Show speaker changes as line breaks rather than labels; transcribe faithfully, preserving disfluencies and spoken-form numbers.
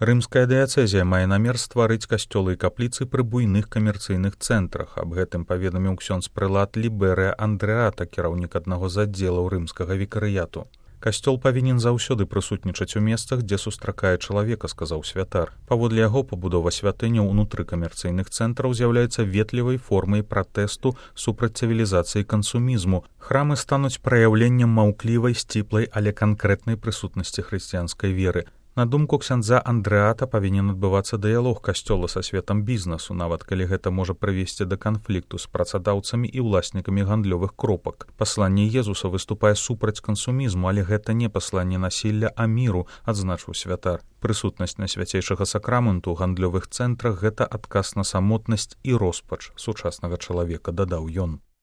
Рымская дыяцэзія мае намер стварыць касцёлы і капліцы пры буйных камерцыйных цэнтрах. Аб гэтым паведаміў ксёндз прэлат Ліберыя Андрэата, кіраўнік аднаго з аддзелаў рымскага вікарыяту. Касцёл павінен заўсёды прысутнічаць у месцах, дзе сустракае чалавека, сказаў святар. Паводле яго, пабудова святыняў унутры камерцыйных цэнтраў з'яўляецца ветлівай формай пратэсту супраць цывілізацыі кансумізму. Храмы стануць праяўленнем маўклівай, сціплай, але канкрэтнай прысутнасці хрысціянскай веры. На думку ксяндза Андрэата, павінен адбывацца дыялог касцёла са светам бізнесу, нават калі гэта можа прывесці да канфлікту з працадаўцамі і ўласнікамі гандлёвых кропак. Пасланне Езуса выступае супраць кансумізму, але гэта не пасланне насілля, а міру, адзначыў святар. Прысутнасць на свяцейшага сакраменту ў гандлёвых цэнтрах – гэта адказ на самотнасць і роспач сучаснага чалавека, дадаў ён.